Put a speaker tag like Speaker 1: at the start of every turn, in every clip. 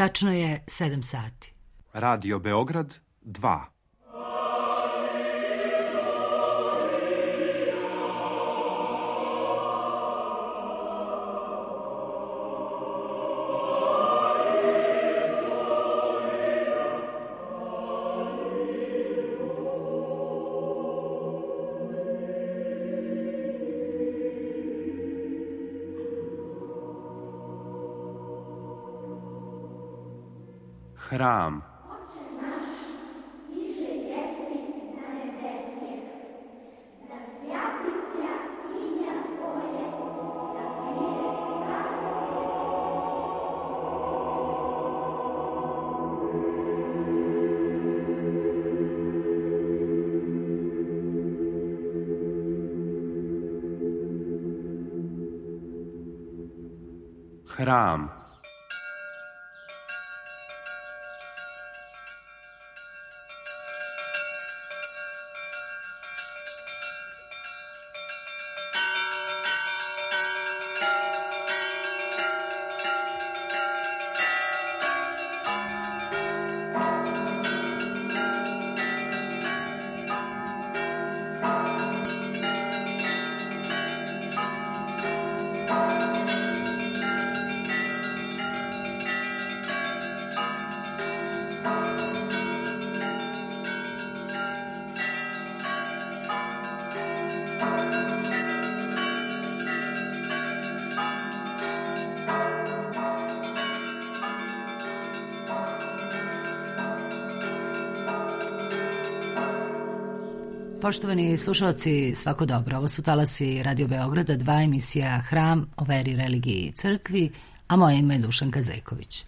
Speaker 1: Tačno je 7 sati.
Speaker 2: Radio Beograd 2. Hram. Hram.
Speaker 1: Poštovani slušalci, svako dobro. Ovo su talasi Radio Beograda 2, emisija Hram o veri, religiji i crkvi, a moje ime je Dušanka Zejković.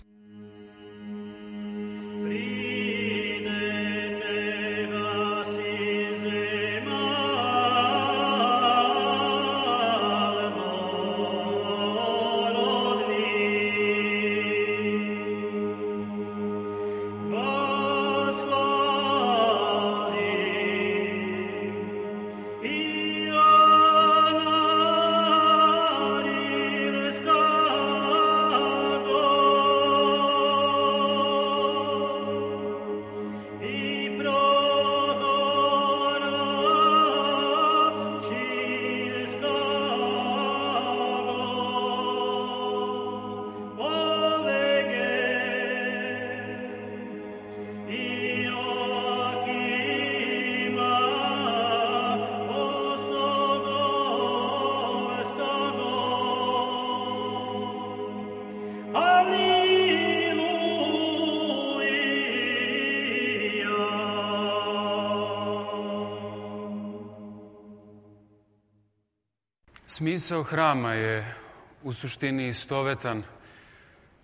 Speaker 3: Smisao hrama je u suštini istovetan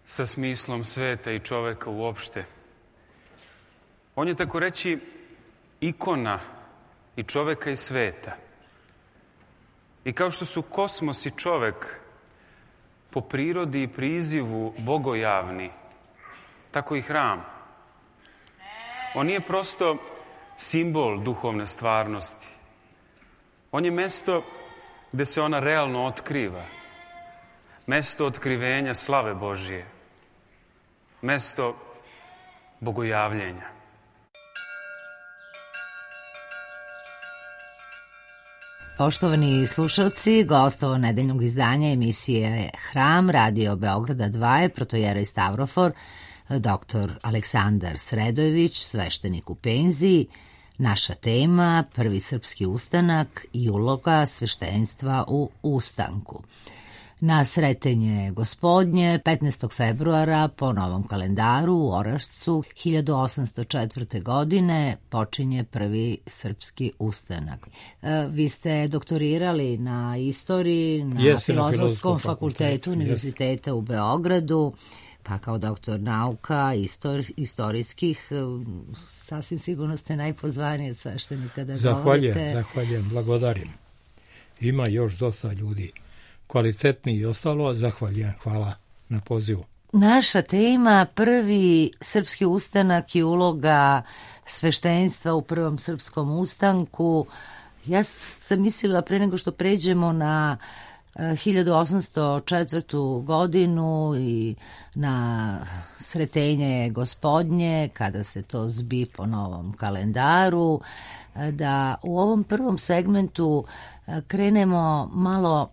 Speaker 3: sa smislom sveta i čoveka uopšte. On je, tako reći, ikona i čoveka i sveta. I kao što su kosmos i čovek po prirodi i prizivu bogojavni, tako i hram. On nije prosto simbol duhovne stvarnosti. On je mesto gde se ona realno otkriva. Mesto otkrivenja slave Božije. Mesto bogojavljenja.
Speaker 1: Poštovani slušalci, gost ovo nedeljnog izdanja emisije Hram Radio Beograda 2 je protojerej Stavrofor, dr. Aleksandar Sredojević, sveštenik u penziji. Naša tema, prvi srpski ustanak i uloga sveštenstva u ustanku. Na Sretenje gospodnje, 15. februara po novom kalendaru u Orašcu 1804. godine počinje prvi srpski ustanak. Vi ste doktorirali na istoriji, na Filozofskom fakultetu Univerziteta u Beogradu, pa kao doktor nauka, istorijskih, sasvim sigurno ste najpozvaniji sveštenika da govorite.
Speaker 4: Zahvaljujem, blagodarim. Ima još dosta ljudi kvalitetni i ostalo, zahvaljujem, hvala na pozivu.
Speaker 1: Naša tema, prvi srpski ustanak i uloga sveštenstva u prvom srpskom ustanku. Ja sam mislila pre nego što pređemo na 1804. godinu i na Sretenje Gospodnje, kada se to zbi po novom kalendaru, da u ovom prvom segmentu krenemo malo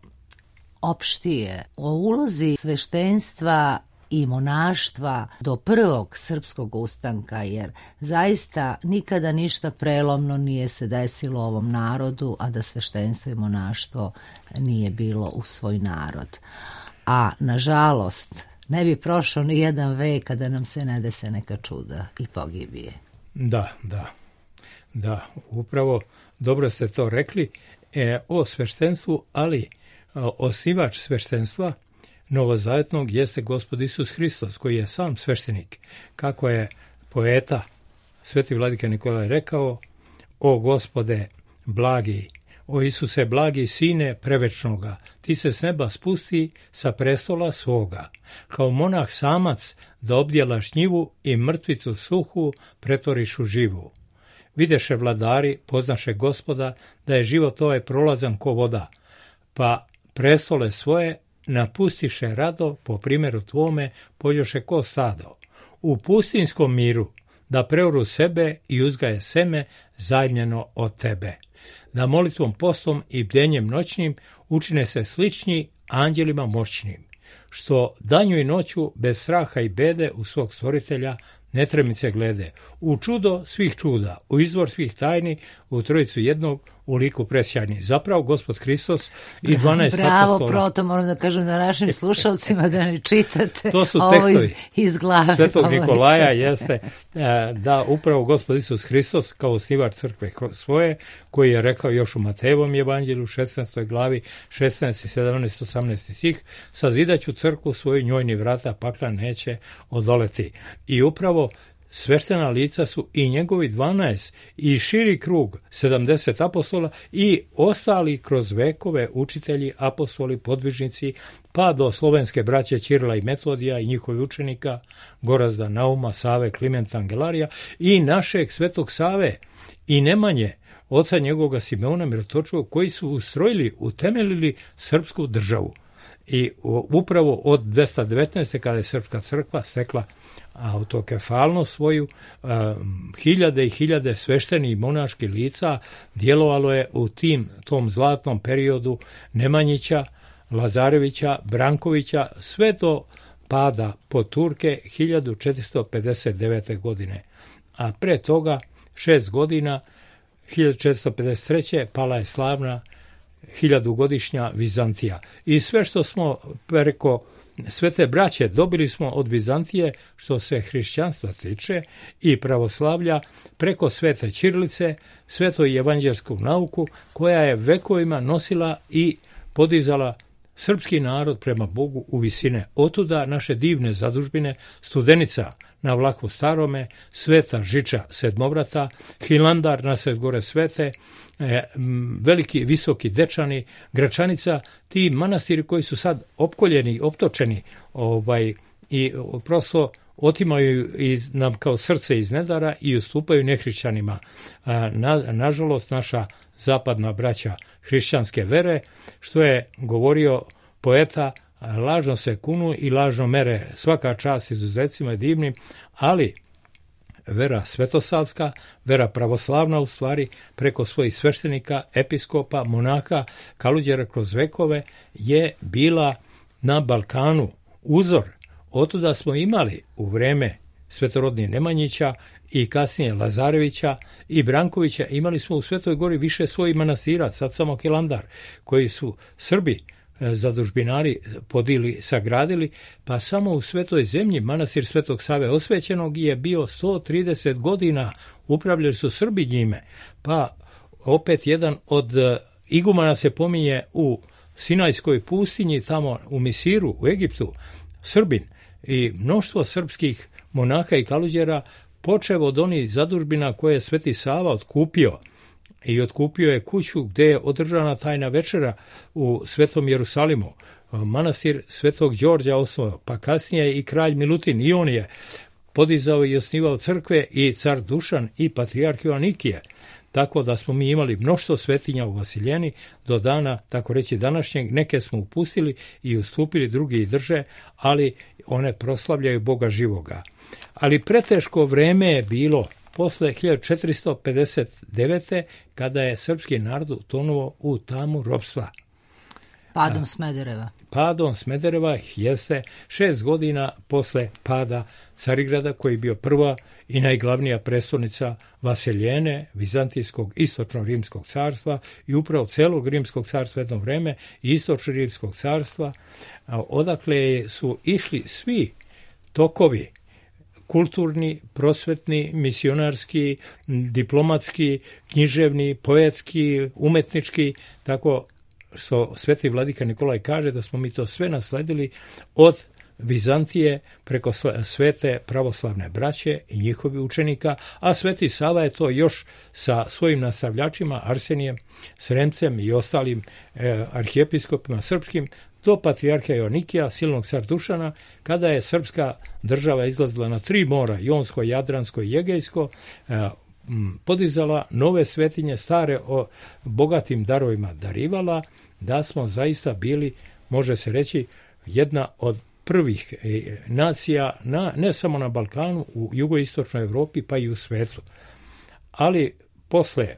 Speaker 1: opštije o ulozi sveštenstva i monaštva do prvog srpskog ustanka, jer zaista nikada ništa prelomno nije se desilo ovom narodu, a da sveštenstvo i monaštvo nije bilo u svoj narod. A nažalost, ne bi prošao ni jedan vek kada nam se ne dese neka čuda i pogibije.
Speaker 4: Da, upravo dobro ste to rekli o sveštenstvu, ali osnivač sveštenstva novozavetnog jeste Gospod Isus Hristos, koji je sam sveštenik. Kako je poeta Sveti vladika Nikolaj rekao: o Gospode blagi, o Isuse blagi, sine prevečnoga, ti se s neba spusti sa prestola svoga, kao monah samac da obdjelaš njivu i mrtvicu suhu pretvoriš u živu. Videše vladari, poznaše Gospoda, da je život ovaj prolazan ko voda, pa prestole svoje napustiše rado, po primjeru tvome pođoše ko stado. U pustinskom miru da preoru sebe i uzgaje seme zajmljeno od tebe. Da molitvom, postom i bdenjem noćnim učine se slični anđelima moćnim, što danju i noću bez straha i bede u svog stvoritelja netremice glede, u čudo svih čuda, u izvor svih tajni, u trojicu jednog, u liku presjajni. Zapravo, Gospod Hristos i 12 apostola.
Speaker 1: Bravo, proto moram da kažem da našim slušalcima da ne čitate
Speaker 4: to su
Speaker 1: tekstovi iz glave
Speaker 4: Svetog Nikolaja, jeste da upravo Gospod Isus Hristos kao osnivač crkve svoje, koji je rekao još u Matejevom evanđelju 16. glavi 16, 17, 18 stih, sazidaću crkvu svoju, njoj ni vrata pakla neće odoleti. I upravo sveštena lica su i njegovi 12 i širi krug 70 apostola i ostali kroz vekove učitelji, apostoli, podvižnici, pa do slovenske braće Ćirila i Metodija i njihovih učenika Gorazda, Nauma, Save, Klimenta, Angelarija i našeg svetog Save i Nemanje, oca njegovoga Simeona Mirotočivog, koji su ustrojili, utemeljili srpsku državu. I upravo od 219. kada je srpska crkva stekla autokefalnost svoju, hiljade i hiljade sveštenih i monaških lica djelovalo je u tom zlatnom periodu Nemanjića, Lazarevića, Brankovića, sve do pada pod Turke 1459. godine. A pre toga 6 godina, 1453. pala je slavna 1000-godišnja Vizantija. I sve što smo preko Svete braće dobili smo od Vizantije što se hrišćanstva tiče i pravoslavlja preko Svete ćirilice, svetu i evanđelsku nauku koja je vekovima nosila i podizala srpski narod prema Bogu u visine. Otuda naše divne zadužbine Studenica na Vlahu Starome, Sveta Žiča Sedmovrata, Hilandar na Svet gore Svete, Veliki Visoki Dečani, Gračanica, ti manastiri koji su sad opkoljeni, optočeni i prosto otimaju nam kao srce iz nedara i ustupaju nehrišćanima. Nažalost, naša zapadna braća hrišćanske vere, što je govorio poeta, lažno se kunu i lažno mere, svaka čast izuzecima je divnim, ali vera svetosavska, vera pravoslavna u stvari, preko svojih sveštenika, episkopa, monaka, kaluđera kroz vekove, je bila na Balkanu uzor. Otuda smo imali u vreme svetorodnih Nemanjića i kasnije Lazarevića i Brankovića, imali smo u Svetoj Gori više svojih manastira, sad samo Hilandar, koji su Srbi, zadužbinari podili, sagradili, pa samo u Svetoj zemlji manastir Svetog Save Osvećenog je bio 130 godina, upravljali su Srbi njime, pa opet jedan od igumana se pominje u Sinajskoj pustinji, tamo u Misiru, u Egiptu, Srbin, i mnoštvo srpskih monaha i kaluđera, počev od onih zadužbina koje je Sveti Sava otkupio, i otkupio je kuću gdje je održana tajna večera u Svetom Jerusalimu. Manastir Svetog Đorđa osnovao, pa kasnije i kralj Milutin, i on je podizao i osnivao crkve, i car Dušan i patrijarh Joanikije. tako da smo mi imali mnoštvo svetinja u Vasiljeni do dana, tako reći, današnjeg. Neke smo upustili i ustupili, drugi i drže, ali one proslavljaju Boga živoga. Ali preteško vreme je bilo posle 1459. kada je srpski narod utonuo u tamu ropstva.
Speaker 1: Padom Smedereva.
Speaker 4: Padom Smedereva jeste 6 godina posle pada Carigrada, koji je bio prva i najglavnija prestolnica Vasiljene, Vizantijskog istočno-rimskog carstva i upravo celog rimskog carstva jedno vreme i istočno-rimskog carstva, odakle su išli svi tokovi kulturni, prosvetni, misionarski, diplomatski, književni, poetski, umetnički, tako što sveti vladika Nikolaj kaže da smo mi to sve nasledili od Vizantije preko svete pravoslavne braće i njihovi učenika, a sveti Sava je to još sa svojim nastavljačima Arsenijem, Sremcem i ostalim arhijepiskopima srpskim do patrijarha Joanikija, silnog car Dušana, kada je srpska država izlazila na 3 mora, Jonsko, Jadransko i Egejsko, podizala nove svetinje, stare o bogatim darovima darivala, da smo zaista bili, može se reći, jedna od prvih nacija, ne samo na Balkanu, u jugoistočnoj Evropi, pa i u svetu. Ali posle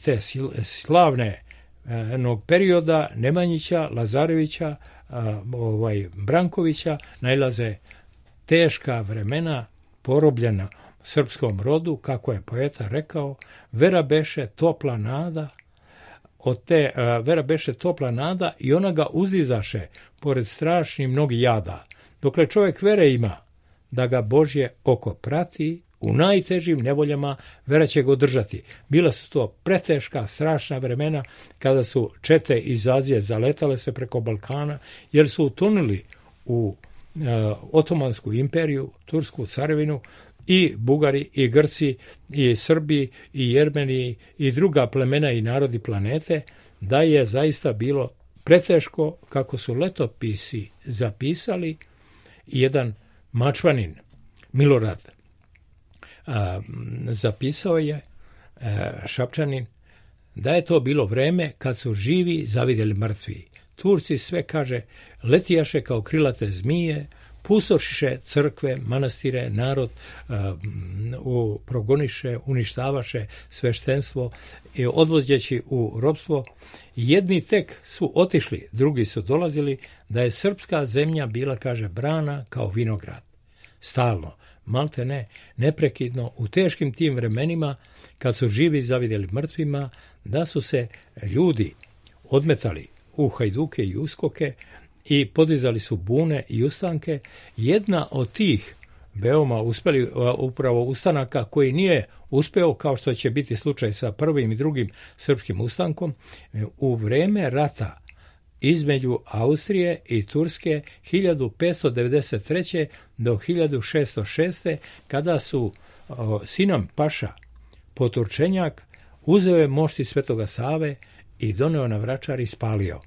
Speaker 4: te slavne perioda Nemanjića, Lazarevića, Brankovića, najlaze teška vremena porobljena srpskom rodu, kako je poeta rekao, vera beše topla nada, od te vera beše topla nada i ona ga uzdizaše pored strašnih mnogi jada. Dokle čovjek vere ima, da ga Božje oko prati, u najtežim nevoljama vera će ga održati. Bila su to preteška, strašna vremena kada su čete iz Azije zaletale se preko Balkana, jer su utonuli u Otomansku imperiju, Tursku carevinu, i Bugari, i Grci, i Srbi, i Jermeni, i druga plemena i narodi planete, da je zaista bilo preteško, kako su letopisi zapisali. Jedan Mačvanin, Milorad, zapisao je, Šapčanin, da je to bilo vreme kad su živi zavidjeli mrtvi. Turci sve, kaže, letijaše kao krilate zmije, pustošiše crkve, manastire, narod progoniše, uništavaše sveštenstvo i odvođeći u ropstvo. Jedni tek su otišli, drugi su dolazili, da je srpska zemlja bila, kaže, brana kao vinograd. Stalno, malte ne, neprekidno, u teškim tim vremenima, kad su živi zavidjeli mrtvima, da su se ljudi odmetali u hajduke i uskoke i podizali su bune i ustanke. Jedna od tih veoma uspeli upravo ustanaka koji nije uspeo, kao što će biti slučaj sa prvim i drugim srpskim ustankom, u vreme rata između Austrije i Turske 1593. do 1606. kada su Sinan Paša Poturčenjak uzeo je mošti Svetoga Save i doneo na Vračar i spalio.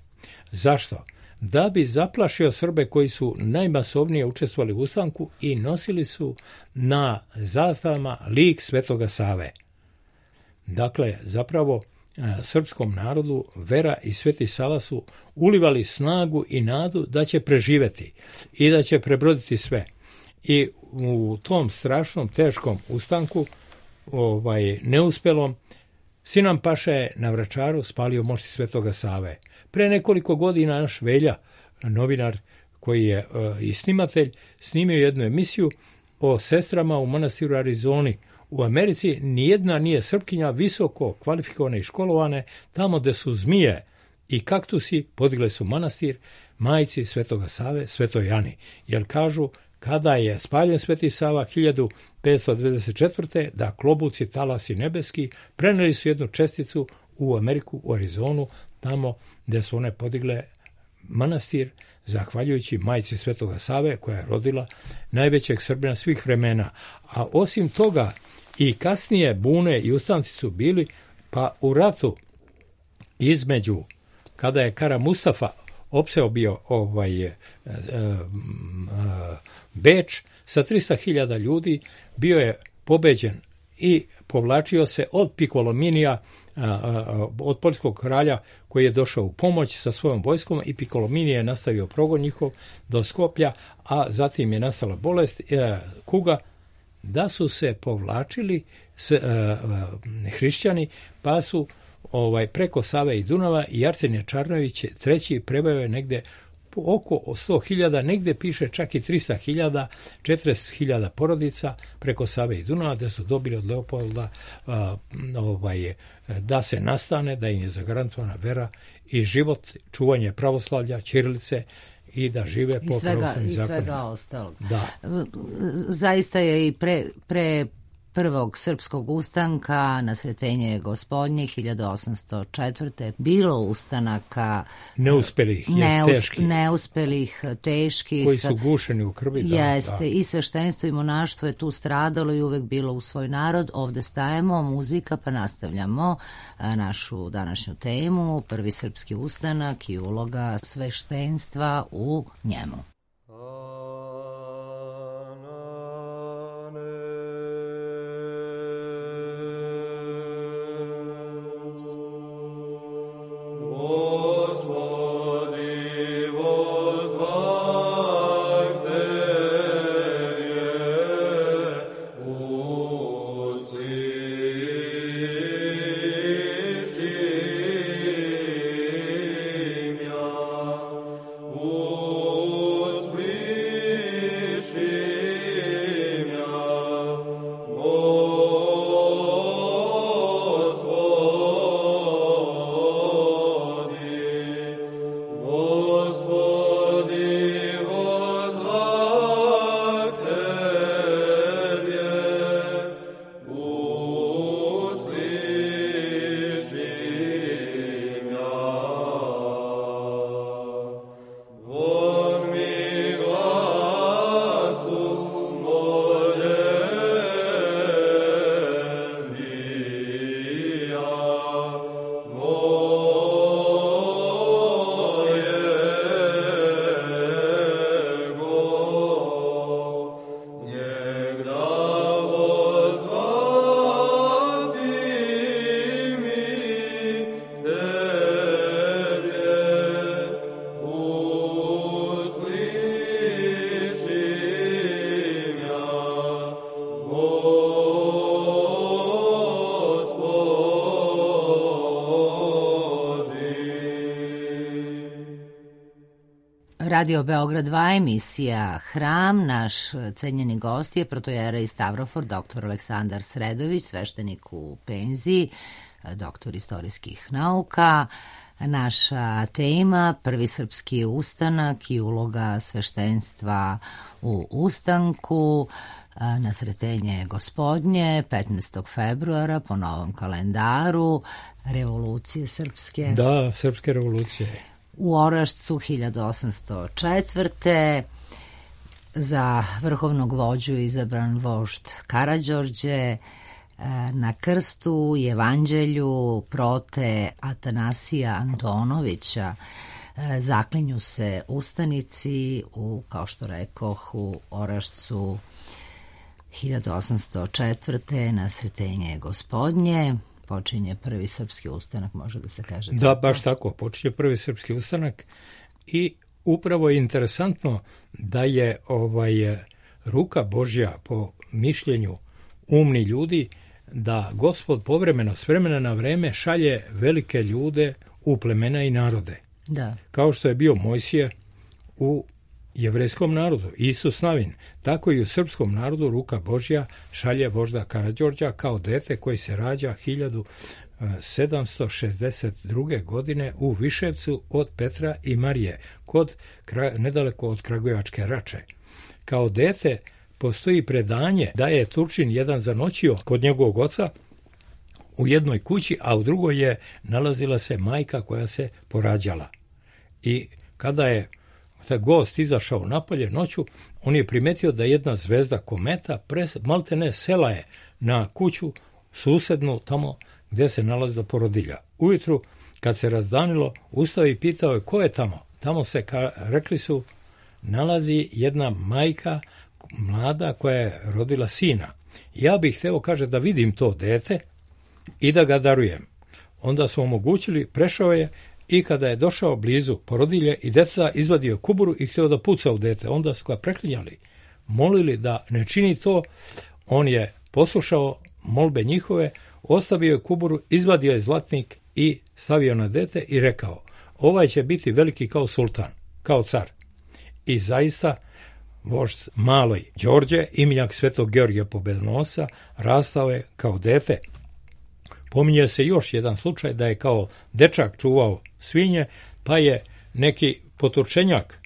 Speaker 4: Zašto? Da bi zaplašio Srbe koji su najmasovnije učestvovali u ustanku i nosili su na zastavama lik Svetoga Save. Dakle, zapravo srpskom narodu vera i Sveti Sava su ulivali snagu i nadu da će preživeti i da će prebroditi sve. I u tom strašnom, teškom ustanku, neuspelom, Sinan Paša je na Vračaru spalio mošti Svetoga Save. Pre nekoliko godina naš Velja, novinar koji je i snimatelj, snimio jednu emisiju o sestrama u manastiru Arizoni. U Americi nijedna nije Srpkinja visoko kvalifikovane i školovane, tamo gde su zmije i kaktusi podigle su manastir majci Svetoga Save, Svetoj Ani. Jer kažu, kada je spaljen Sveti Sava 1594. da klobuci, talasi nebeski preneli su jednu česticu u Ameriku, u Arizonu, tamo gde su one podigle manastir, zahvaljujući majci Svetoga Save, koja je rodila najvećeg Srbina svih vremena. A osim toga, i kasnije bune i ustanci su bili, pa u ratu između, kada je Kara Mustafa opseo bio Beč sa 300.000 ljudi, bio je pobeđen i povlačio se od Picolominija, od poljskog kralja koji je došao u pomoć sa svojom vojskom, i Picolominije je nastavio progon njihov do Skoplja, a zatim je nastala bolest kuga, da su se povlačili hrišćani, pa su preko Save i Dunava, i Arsenije Čarnović III prebavio negde oko 100.000, negde piše čak i 300.000, 40.000 porodica preko Save i Dunava, da su dobili od Leopolda da se nastane, da im je zagarantovana vera i život, čuvanje pravoslavlja, ćirilice i da žive po pravoslavnim zakonima. I svega
Speaker 1: ostalog.
Speaker 4: Da.
Speaker 1: Zaista je i pre prvog srpskog ustanka na Sretenje Gospodnje 1804. bilo ustanaka
Speaker 4: neuspelih,
Speaker 1: teških,
Speaker 4: koji su gušeni u krvi.
Speaker 1: Jeste, i sveštenstvo i monaštvo je tu stradalo i uvek bilo u svoj narod. Ovde stajemo, muzika, pa nastavljamo našu današnju temu, prvi srpski ustanak i uloga sveštenstva u njemu. Radio Beograd 2, emisija Hram. Naš cenjeni gost je protojera iz Stavrofor, dr. Aleksandar Sredojević, sveštenik u penziji, doktor istorijskih nauka. Naša tema, prvi srpski ustanak i uloga sveštenstva u ustanku na Sretenje Gospodnje 15. februara po novom kalendaru, revolucije srpske.
Speaker 4: Da, srpske revolucije.
Speaker 1: U Orašcu 1804. za vrhovnog vođu izabran vožd Karađorđe, na krstu i evanđelju prote Atanasija Antonovića zaklinju se ustanici u, kao što rekoh, u Orašcu 1804. na Sretenje Gospodnje. Počinje prvi srpski ustanak, može da se kaže.
Speaker 4: Da, baš tako, počinje prvi srpski ustanak i upravo je interesantno da je ruka Božja, po mišljenju umni ljudi, da Gospod povremeno, s vremena na vreme, šalje velike ljude u plemena i narode.
Speaker 1: Da.
Speaker 4: Kao što je bio Mojsije u jevrejskom narodu, Isus Navin, tako i u srpskom narodu ruka Božja šalje vožda Karađorđa kao dete koji se rađa 1762. godine u Viševcu od Petra i Marije, nedaleko od Kragujevačke Rače. Kao dete postoji predanje da je Turčin jedan zanoćio kod njegovog oca u jednoj kući, a u drugoj je nalazila se majka koja se porađala. I kada je taj gost izašao napolje noću, on je primetio da jedna zvezda kometa maltene sela je na kuću susednu tamo gdje se nalazila porodilja. Ujutru, kad se razdanilo, ustao i pitao je ko je tamo. Tamo se, rekli su, nalazi jedna majka mlada koja je rodila sina. ja bih hteo, kaže, da vidim to dete i da ga darujem. Onda su omogućili, prešao je i kada je došao blizu porodilje i deca, izvadio kuburu i htio da puca u dete. Onda su ga preklinjali, molili da ne čini to. On je poslušao molbe njihove, ostavio je kuburu, izvadio je zlatnik i stavio na dete i rekao, ovaj će biti veliki kao sultan, kao car. I zaista, vožd maloj Đorđe, imenjak Svetog Georgija Pobedonosca, rastao je kao dete. Pominje se još jedan slučaj da je kao dečak čuvao svinje, pa je neki poturčenjak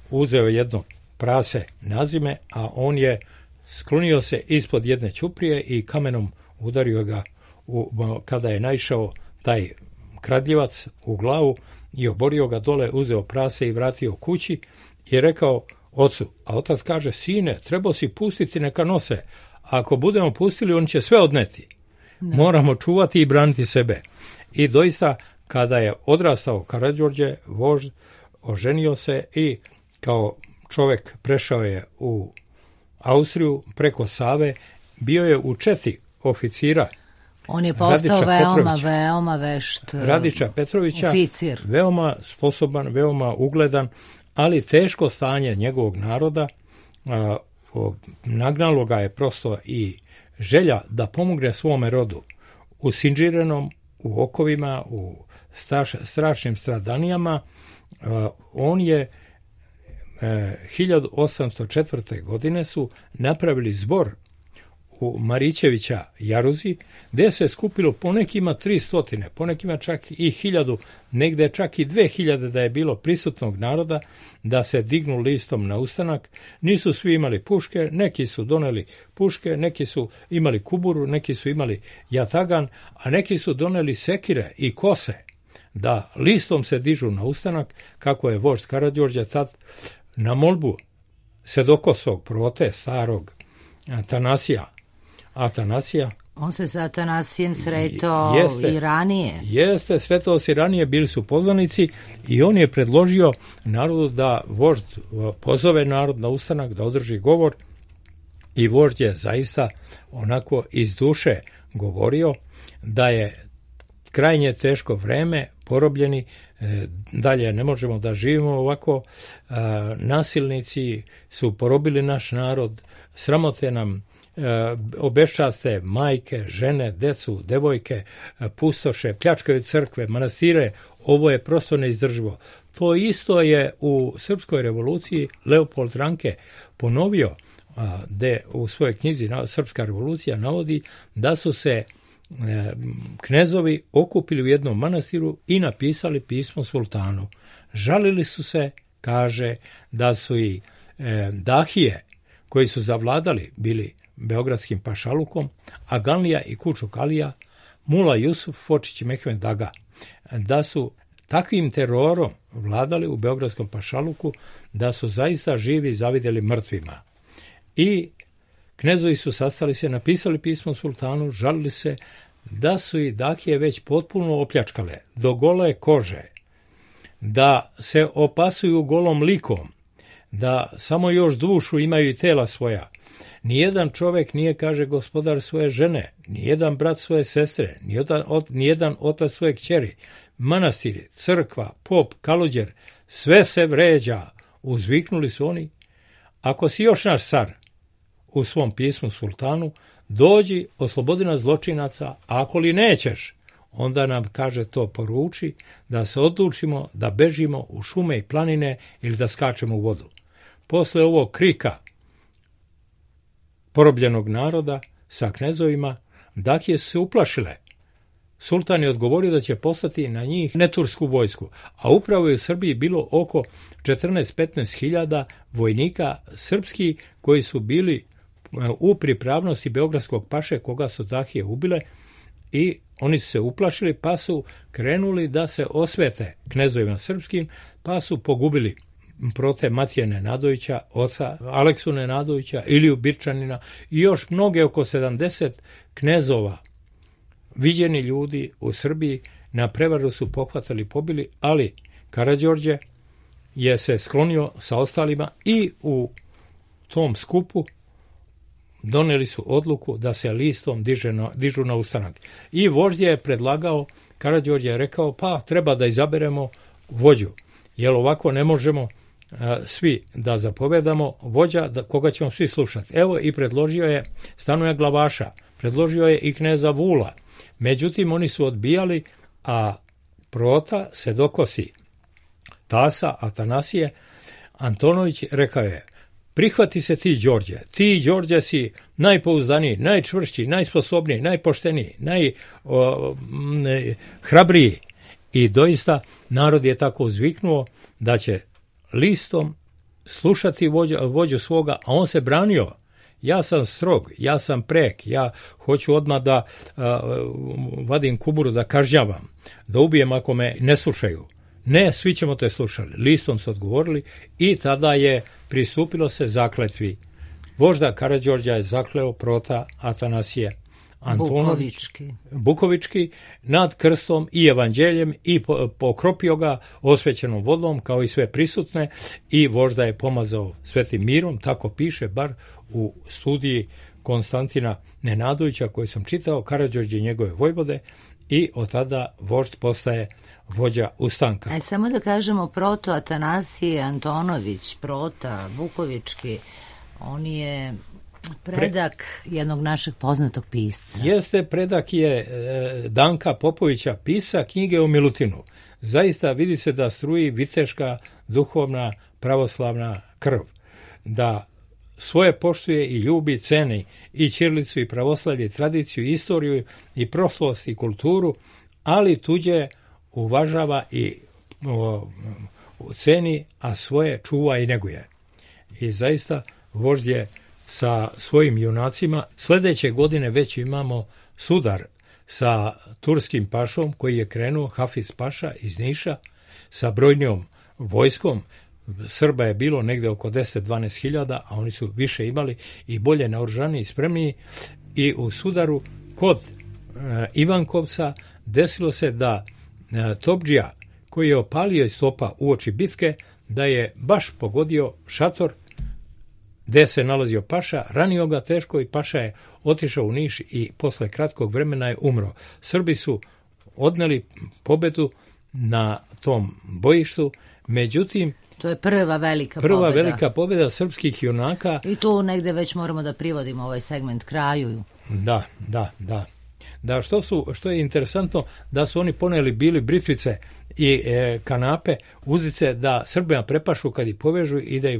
Speaker 4: uzeo jedno prase na zime, a on je sklonio se ispod jedne ćuprije i kamenom udario ga kada je naišao taj kradljivac u glavu i oborio ga dole, uzeo prase i vratio kući i rekao ocu, a otac kaže, sine, trebao si pustiti neka nose, ako budemo pustili on će sve odneti. Moramo čuvati i braniti sebe. I doista, kada je odrastao Karađorđe, vožd, oženio se i kao čovek prešao je u Austriju preko Save, bio je u četi oficira.
Speaker 1: On je postao veoma vešt
Speaker 4: Radića Petrovića,
Speaker 1: oficir.
Speaker 4: Veoma sposoban, veoma ugledan, ali teško stanje njegovog naroda nagnalo ga je prosto i želja da pomogne svome rodu u Sinđirenom, u okovima, u strašnim stradanijama. On je 1804. godine su napravili zbor u Marićevića Jaruzi, gde se skupilo ponekima 300, ponekima čak i 1000, negde čak i 2000 da je bilo prisutnog naroda, da se dignu listom na ustanak. Nisu svi imali puške, neki su doneli puške, neki su imali kuburu, neki su imali jatagan, a neki su doneli sekire i kose, da listom se dižu na ustanak, kako je vožd Karađorđe tad na molbu sedokosog prote, starog Atanasija.
Speaker 1: On se sa Atanasijem sretao i ranije.
Speaker 4: Jeste, sretao se ranije, bili su poznanici i on je predložio narodu da vožd pozove narod na ustanak, da održi govor i vožd je zaista onako iz duše govorio da je krajnje teško vreme, porobljeni, dalje ne možemo da živimo ovako, nasilnici su porobili naš narod, sramote nam, obeščaste majke, žene, decu, devojke, pustoše, pljačkaju crkve, manastire, ovo je prosto neizdrživo. To isto je u Srpskoj revoluciji Leopold Ranke ponovio, gde u svojoj knjizi Srpska revolucija navodi da su se knezovi okupili u jednom manastiru i napisali pismo sultanu. Žalili su se, kaže, da su i dahije koji su zavladali bili beogradskim pašalukom, Aganlija i Kučuk Alija, Mula Jusuf, Fočić i Mehmed Daga, da su takvim terorom vladali u beogradskom pašaluku da su zaista živi zavidjeli mrtvima. I knezovi su sastali se, napisali pismo sultanu, žalili se da su i dahije već potpuno opljačkale do gole kože, da se opasuju golom likom, da samo još dušu imaju i tela svoja. Nijedan čovek nije, kaže, gospodar svoje žene, nijedan brat svoje sestre, nijedan otac svoje kćeri. Manastiri, crkva, pop, kaluđer, sve se vređa. Uzviknuli su oni, ako si još naš car, u svom pismu sultanu, dođi, oslobodi nas zločinaca, a ako li nećeš, onda nam, kaže, to poruči, da se odlučimo da bežimo u šume i planine ili da skačemo u vodu. Posle ovog krika porobljenog naroda sa knezovima, dahije su se uplašile. Sultan je odgovorio da će poslati na njih netursku vojsku, a upravo je u Srbiji bilo oko 14-15 hiljada vojnika srpski koji su bili u pripravnosti beogradskog paše koga su dahije ubile i oni su se uplašili pa su krenuli da se osvete knezovima srpskim, pa su pogubili prote Matije Nenadovića, oca Aleksu Nenadovića, Iliju Birčanina i još mnoge oko 70 knezova. Viđeni ljudi u Srbiji na prevaru su pohvatali, pobili, ali Karađorđe je se sklonio sa ostalima i u tom skupu doneli su odluku da se listom dižu na ustanak. I vožd je predlagao, Karađorđe je rekao, pa treba da izaberemo vođu, jer ovako ne možemo svi da zapovedamo, vođa koga ćemo svi slušati. Evo i predložio je Stanoja Glavaša, predložio je i kneza Vula. Međutim, oni su odbijali, a Prota Sedokosi, tasa Atanasije Antonović rekao je, prihvati se ti, Đorđe. Ti, Đorđe, si najpouzdaniji, najčvršći, najsposobniji, najpošteniji, najhrabriji. I doista narod je tako uzviknuo da će listom slušati vođu svoga, a on se branio. Ja sam strog, ja sam prek, ja hoću odmah da vadim kuburu, da kažnjavam, da ubijem ako me ne slušaju. Ne, svi ćemo te slušali. Listom su odgovorili i tada je pristupilo se zakletvi. Vožda Karađorđa je zakleo Prota Atanasije Antonović Bukovički nad krstom i evanđeljem i pokropio ga osvećenom vodom kao i sve prisutne i vožda je pomazao svetim mirom, tako piše bar u studiji Konstantina Nenadovića koju sam čitao, Karađorđe i njegove vojvode, i od tada vožd postaje vođa ustanka.
Speaker 1: Samo da kažemo, Proto Atanasije Antonović, Prota Bukovički, on je predak jednog našeg poznatog pisca.
Speaker 4: Jeste, predak je Danka Popovića, pisa knjige o Milutinu. Zaista vidi se da struji viteška, duhovna, pravoslavna krv. Da svoje poštuje i ljubi, ceni i ćirilicu i pravoslavlje, i tradiciju, i istoriju, i prošlost, i kulturu, ali tuđe uvažava i ceni, a svoje čuva i neguje. I zaista vožd je sa svojim junacima. Sljedeće godine već imamo sudar sa turskim pašom koji je krenuo, Hafiz Paša iz Niša, sa brojnijom vojskom. Srba je bilo negde oko 10-12 hiljada, a oni su više imali i bolje naoružani i spremniji. I u sudaru kod Ivankovca desilo se da Topdžija, koji je opalio iz topa uoči bitke, da je baš pogodio šator gde se nalazio Paša, ranio ga teško i Paša je otišao u Niš i posle kratkog vremena je umro. Srbi su odneli pobedu na tom bojištu, međutim,
Speaker 1: to je prva velika
Speaker 4: pobeda srpskih junaka.
Speaker 1: I tu negde već moramo da privodimo ovaj segment kraju.
Speaker 4: Da, što je interesantno, da su oni poneli bili britvice i kanape, uzice, da Srbima prepašu kad ih povežu i da ih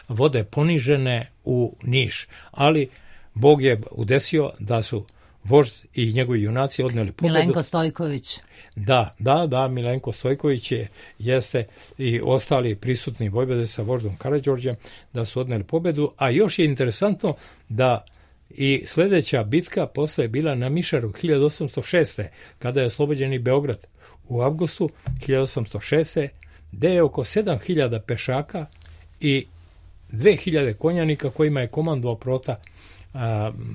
Speaker 4: vode ponižene u Niš. Ali Bog je udesio da su vožd i njegovi junaci odneli pobedu.
Speaker 1: Milenko Stojković.
Speaker 4: Da, Milenko Stojković jeste i ostali prisutni vojvode sa voždom Karađorđem da su odneli pobedu, a još je interesantno da i sljedeća bitka posle je bila na Mišaru 1806. kada je oslobođen i Beograd u avgustu 1806. gde je oko 7000 pešaka i 2000 konjanika kojima je komandovao Prota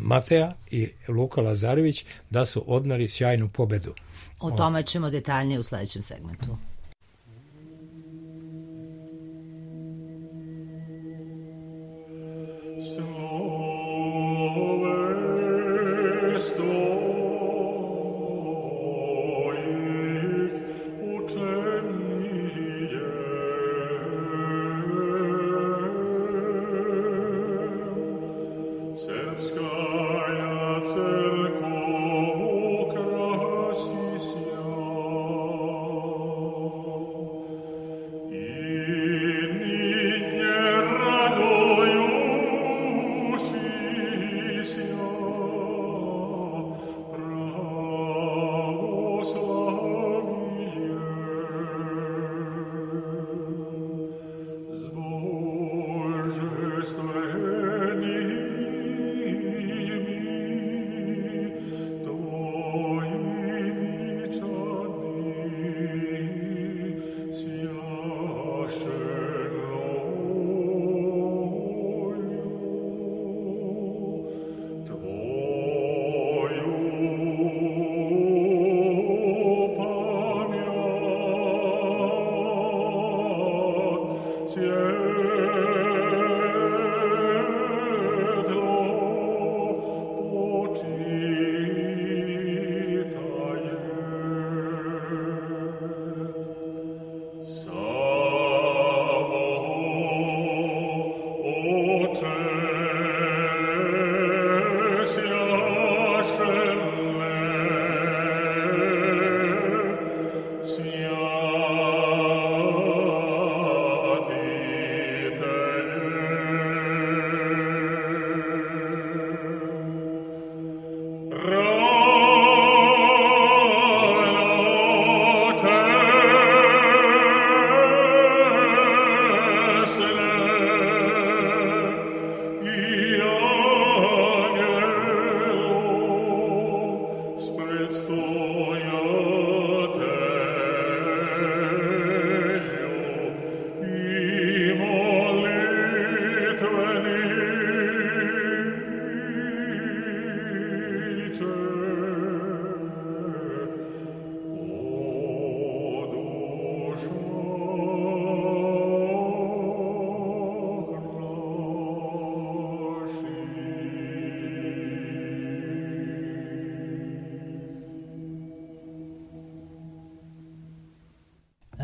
Speaker 4: Mateja i Luka Lazarević da su odneli sjajnu pobedu.
Speaker 1: O tome ćemo detaljnije u sljedećem segmentu.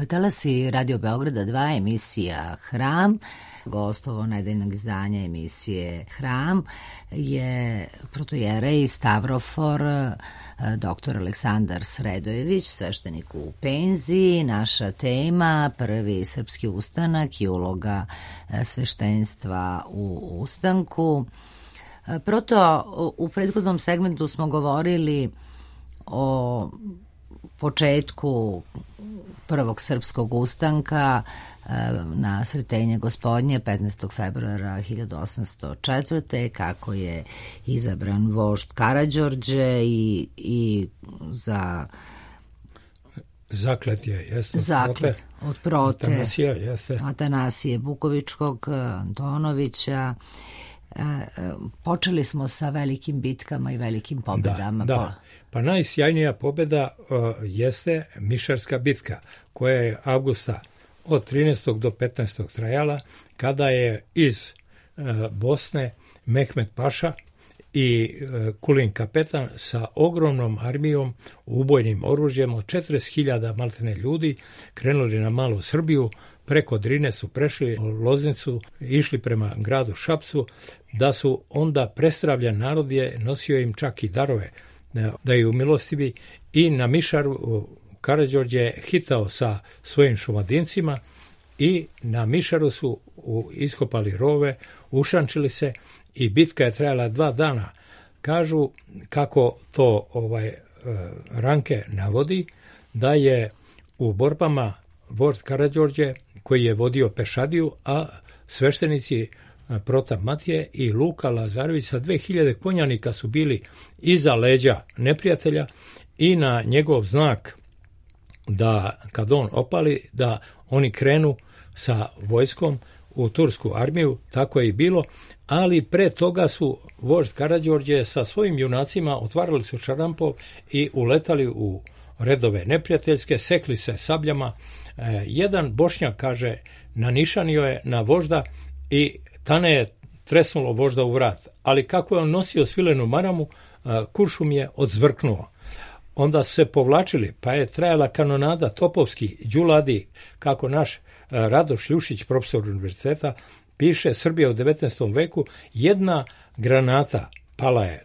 Speaker 1: Talasi Radio Beograda 2, emisija Hram. Gostovo nedeljnog izdanja emisije Hram je protojerej Stavrofor dr. Aleksandar Sredojević, sveštenik u penziji. Naša tema, prvi srpski ustanak i uloga sveštenstva u ustanku. Proto, u prethodnom segmentu smo govorili o početku prvog srpskog ustanka na Sretenje Gospodnje 15. februara 1804. kako je izabran vožd Karađorđe i za
Speaker 4: zaklet je, jeste.
Speaker 1: Zaklet od prote
Speaker 4: Atanasije
Speaker 1: Bukovičkog, Antonovića. Počeli smo sa velikim bitkama i velikim pobedama.
Speaker 4: Da. Pa najsjajnija pobeda jeste Mišarska bitka, koja je avgusta od 13. do 15. trajala, kada je iz Bosne Mehmet Paša i Kulin kapetan sa ogromnom armijom, ubojnim oružjem od 40.000 maltene ljudi krenuli na Malu Srbiju. Preko Drine su prešli Loznicu, išli prema gradu Šapcu, da su onda prestravljen narod je nosio im čak i darove, da je umilostivi, i na Mišaru Karađorđe je hitao sa svojim šumadincima i na Mišaru su iskopali rove, ušančili se i bitka je trajala 2 dana. Kažu, kako to Ranke navodi, da je u borbama vožd Karađorđe, koji je vodio pešadiju, a sveštenici Protap Matije i Luka Lazarević sa 2000 konjanika su bili iza leđa neprijatelja i na njegov znak da kad on opali, da oni krenu sa vojskom u tursku armiju, tako je i bilo, ali pre toga su vožd Karađorđe sa svojim junacima otvarali su šarampov i uletali u redove neprijateljske, sekli se sabljama. Jedan Bošnjak, kaže, nanišanio je na vožda i tane je tresnulo vožda u vrat, ali kako je on nosio svilenu maramu, kuršum je odzvrknuo. Onda su se povlačili, pa je trajala kanonada, topovski, đuladi, kako naš Radoš Ljušić, profesor univerziteta, piše, Srbija u 19. veku, jedna granata pala je,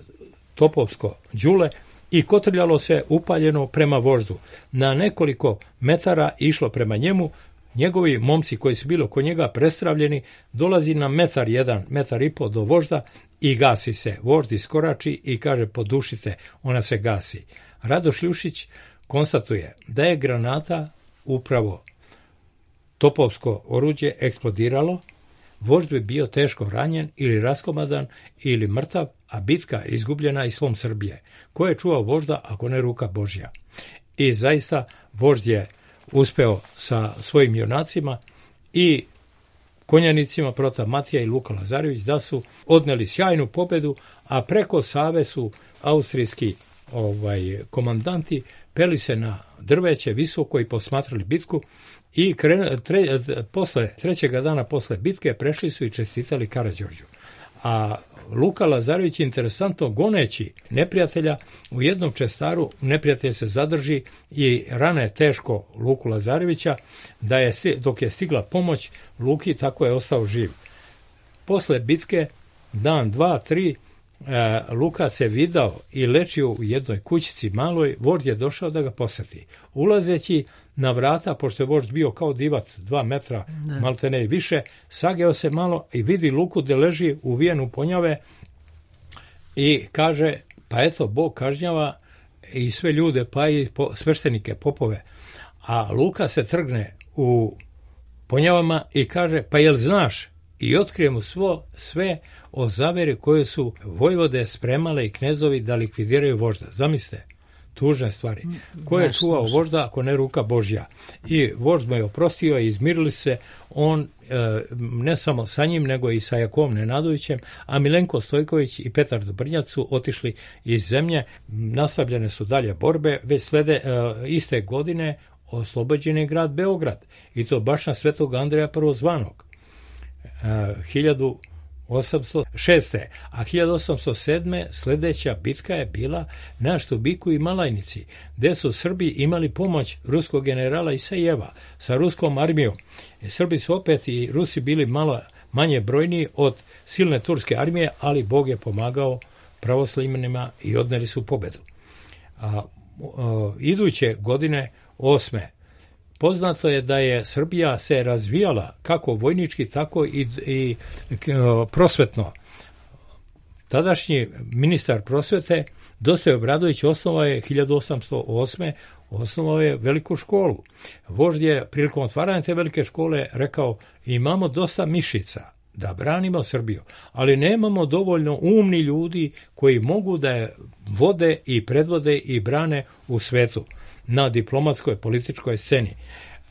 Speaker 4: topovsko đule, i kotrljalo se upaljeno prema voždu. Na nekoliko metara išlo prema njemu, njegovi momci koji su bili oko njega prestravljeni, dolazi na 1,1 metar i po do vožda i gasi se. Vožd iskorači i kaže, podušite, ona se gasi. Radoš Ljušić konstatuje da je granata, upravo topovsko oruđe, eksplodiralo, vožd bi bio teško ranjen ili raskomadan ili mrtav, a bitka izgubljena i slom Srbije. Ko je čuvao vožda ako ne ruka Božja? I zaista vožd je uspeo sa svojim junacima i konjanicima Protap Matija i Luka Lazarević da su odneli sjajnu pobedu, a preko Save su austrijski komandanti peli se na drveće visoko i posmatrali bitku i posle trećega dana posle bitke prešli su i čestitali Karađorđu. A Luka Lazarević, interesantno, goneći neprijatelja u jednom čestaru, neprijatelj se zadrži i rane teško Luku Lazarevića, da je, dok je stigla pomoć Luki, tako je ostao živ. Posle bitke, dan, 2, 3, Luka se vidao i lečio u jednoj kućici maloj, vožd je došao da ga poseti. Ulazeći na vrata, pošto je vožd bio kao divac, 2 metra, maltene i više, sageo se malo i vidi Luku da leži uvijen u ponjave i kaže, pa eto, Bog kažnjava i sve ljude, pa i sveštenike, popove. A Luka se trgne u ponjavama i kaže, pa jel znaš? I otkrije mu sve o zaveri koje su vojvode spremale i knezovi da likvidiraju vožda. Zamislite, tužne stvari. Ko je čuvao vožda ako ne ruka Božja? I vožd mu je oprostio i izmirili se, on ne samo sa njim, nego i sa Jakovom Nenadovićem, a Milenko Stojković i Petar Dobrnjac su otišli iz zemlje. Nastavljene su dalje borbe, već iste godine oslobođen je grad Beograd, i to baš na Svetog Andreja Prvozvanog. 1806. A 1807. sljedeća bitka je bila na Štubiku i Malajnici, gdje su Srbi imali pomoć ruskog generala Isajeva sa ruskom armijom. Srbi su opet i Rusi bili malo manje brojniji od silne turske armije, ali Bog je pomagao pravoslavljanima i odneli su pobedu. Iduće godine 8. poznato je da je Srbija se razvijala kako vojnički, tako i prosvetno. Tadašnji ministar prosvete Dositej Obradović osnovao je 1808. osnovao je veliku školu. Vožd je prilikom otvaranja te velike škole rekao: imamo dosta mišica da branimo Srbiju, ali nemamo dovoljno umni ljudi koji mogu da je vode i predvode i brane u svetu na diplomatskoj političkoj sceni.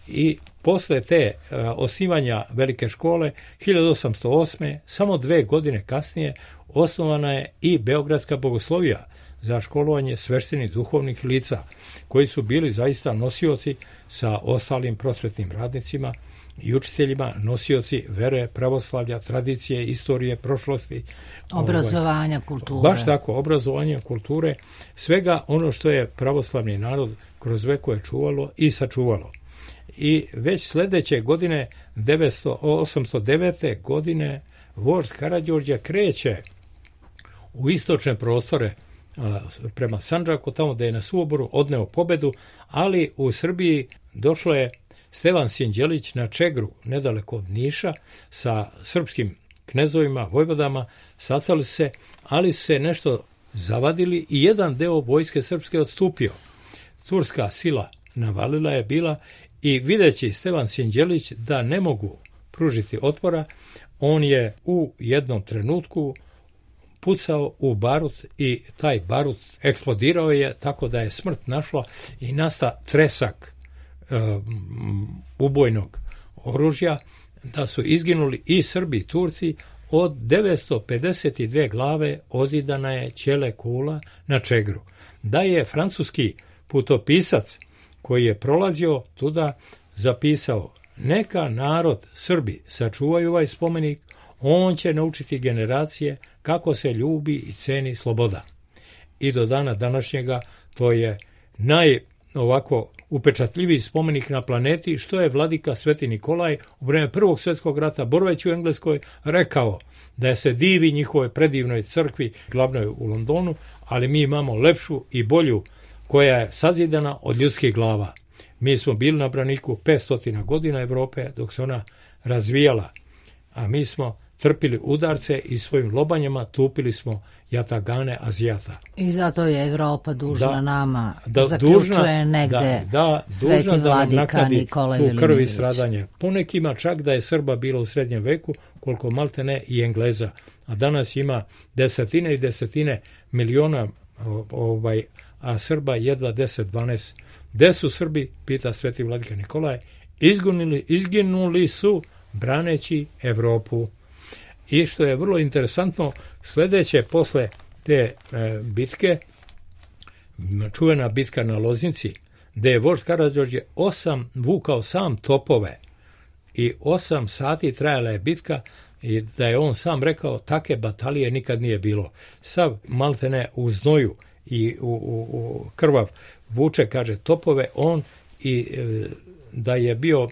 Speaker 4: I posle te osnivanja velike škole 1808. samo 2 godine kasnije osnovana je i Beogradska bogoslovija za školovanje sveštenih duhovnih lica koji su bili zaista nosioci sa ostalim prosvetnim radnicima i učiteljima, nosioci vere, pravoslavlja, tradicije, istorije, prošlosti,
Speaker 1: obrazovanja, kulture.
Speaker 4: Baš tako, obrazovanja, kulture, svega ono što je pravoslavni narod kroz vekove čuvalo i sačuvalo. I već sljedeće godine, 809. godine, vožd Karađorđe kreće u istočne prostore prema Sandžaku, tamo da je na Suoboru odneo pobedu, ali u Srbiji došlo je Stevan Sinđelić na Čegru, nedaleko od Niša, sa srpskim knezovima, vojvodama, sastali se, ali su se nešto zavadili i jedan deo vojske srpske odstupio. Turska sila navalila je bila i videći Stevan Sinđelić da ne mogu pružiti otpora, on je u jednom trenutku pucao u barut i taj barut eksplodirao je tako da je smrt našla i nasta tresak ubojnog oružja, da su izginuli i Srbi i Turci. Od 952 glave ozidana je ćele kula na Čegru. Da je francuski putopisac koji je prolazio tuda zapisao: neka narod Srbi sačuvaju ovaj spomenik, on će naučiti generacije kako se ljubi i ceni sloboda. I do dana današnjega to je ovako upečatljiviji spomenik na planeti, što je vladika Sveti Nikolaj u vrijeme Prvog svjetskog rata, boraveći u Engleskoj, rekao da se divi njihovoj predivnoj crkvi, glavnoj u Londonu, ali mi imamo lepšu i bolju koja je sazidana od ljudskih glava. Mi smo bili na braniku 500 godina Evrope dok se ona razvijala, a mi smo trpili udarce i svojim lobanjama tupili smo jatagane Azijata.
Speaker 1: I zato je Evropa dužna nama, zaključuje negde sveti vladika Nikola Velimirović.
Speaker 4: Krvi stradanje. Po nekima čak da je Srba bilo u srednjem veku, koliko malte ne i Engleza. A danas ima desetine i desetine miliona, a Srba jedva 10-12. Gde su Srbi, pita sveti vladika Nikolaj, izginuli su braneći Evropu. I što je vrlo interesantno, sljedeće posle te bitke, čuvena bitka na Loznici, gde je vožd Karađorđe vukao sam topove i 8 sati trajala je bitka, i da je on sam rekao take batalije nikad nije bilo. Sav maltene u znoju i u krvav vuče, kaže, topove on, i da je bio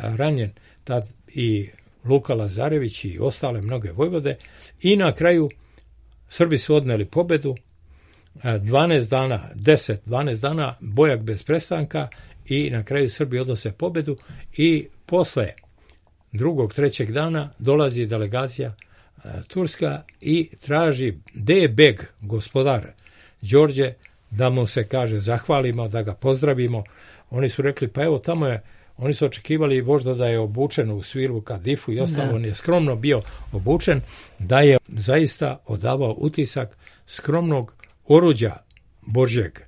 Speaker 4: ranjen tad i Luka Lazarević i ostale mnoge vojvode, i na kraju Srbi su odneli pobedu, 12 dana bojak bez prestanka, i na kraju Srbi odnose pobedu. I posle drugog, trećeg dana dolazi delegacija turska i traži gde je beg, gospodar Đorđe, da mu se, kaže, zahvalimo, da ga pozdravimo. Oni su rekli, pa evo tamo je. Oni su očekivali vožda da je obučen u svilu, kadifu i ostalo. On je skromno bio obučen, da je zaista odavao utisak skromnog oruđa Božjeg,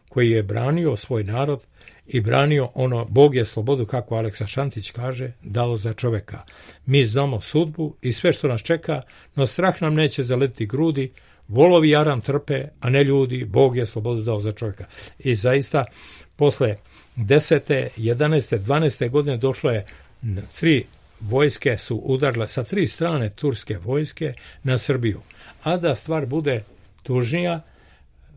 Speaker 4: koji je branio svoj narod i branio ono, Bog je slobodu, kako Aleksa Šantić kaže, dao za čoveka. Mi znamo sudbu i sve što nas čeka, no strah nam neće zaletiti grudi, volovi jaram trpe, a ne ljudi, Bog je slobodu dao za čoveka. I zaista, posle 10., 11., 12. godine došlo je 3 vojske su udarile sa 3 strane turske vojske na Srbiju. A da stvar bude tužnija,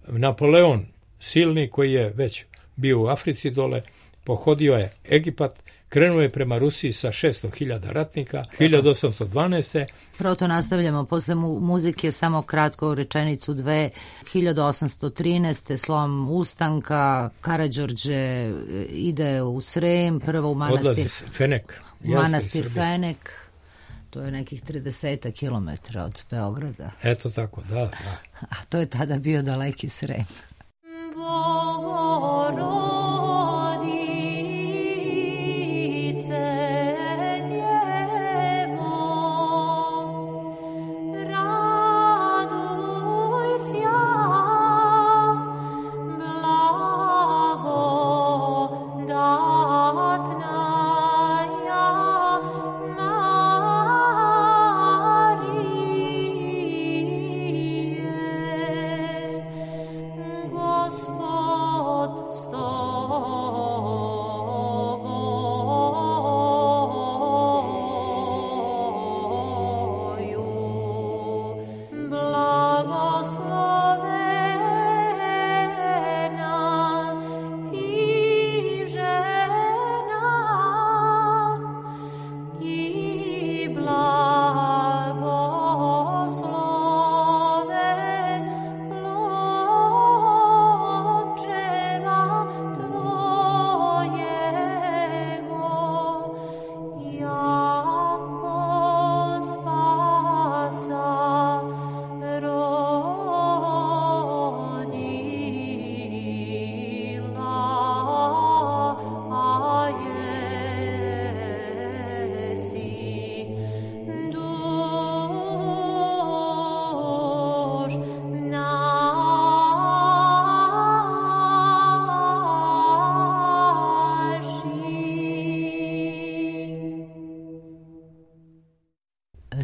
Speaker 4: Napoleon silni, koji je već bio u Africi dole, pohodio je Egipat, krenuo je prema Rusiji sa 600.000 ratnika, 1812.
Speaker 1: Proto nastavljamo posle muzike, samo kratko rečenicu dve. 1813. slom ustanka, Karađorđe ide u Srem, prvo u manastir
Speaker 4: Fenek.
Speaker 1: Manastir Fenek, to je nekih 30 kilometara od Beograda.
Speaker 4: Eto tako, da.
Speaker 1: A to je tada bio daleki Srem.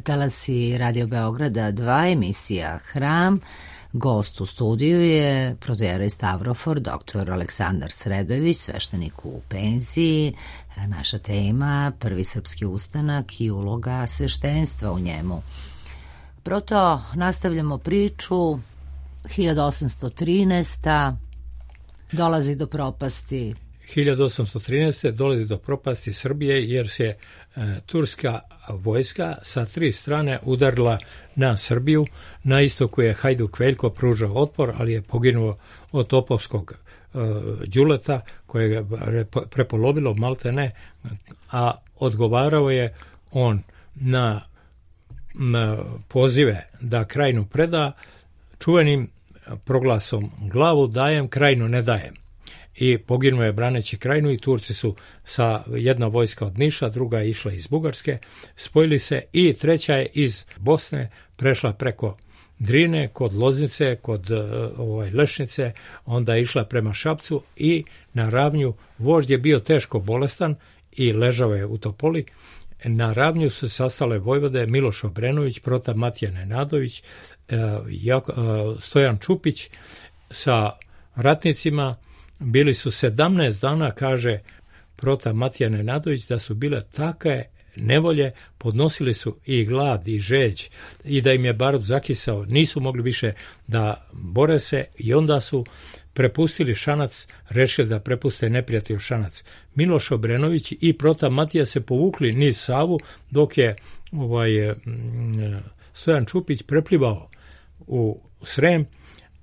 Speaker 1: Talasi Radio Beograda 2, emisija Hram. Gost u studiju je protoijerej Stavrofor, dr. Aleksandar Sredojević, sveštenik u penziji. Naša tema, prvi srpski ustanak i uloga sveštenstva u njemu. Proto nastavljamo priču. 1813. dolazi do propasti.
Speaker 4: 1813. dolazi do propasti Srbije jer se turska vojska sa 3 strane udarila na Srbiju. Na istoku je Hajduk Veljko pružao otpor, ali je poginuo od topovskog đuleta koje je prepolovilo maltene, a odgovarao je on na pozive da Krajinu preda čuvenim proglasom glavu dajem, Krajinu ne dajem. I poginuo je braneći Krajinu i Turci su sa jedna vojska od Niša, druga je išla iz Bugarske, spojili se i treća je iz Bosne prešla preko Drine, kod Loznice, kod Lešnice, onda je išla prema Šapcu i na Ravnju. Vožd je bio teško bolestan i ležao je u Topoli. Na Ravnju su sastale vojvode Miloš Obrenović, Prota Matija Nenadović, Stojan Čupić sa ratnicima. Bili su 17 dana, kaže Prota Matija Nenadović, da su bile takve nevolje, podnosili su i glad i žeđ i da im je barut zakisao, nisu mogli više da bore se i onda su prepustili Šanac, rešili da prepuste neprijatelju Šanac. Miloš Obrenović i Prota Matija se povukli niz Savu, dok je Stojan Čupić preplivao u Srem,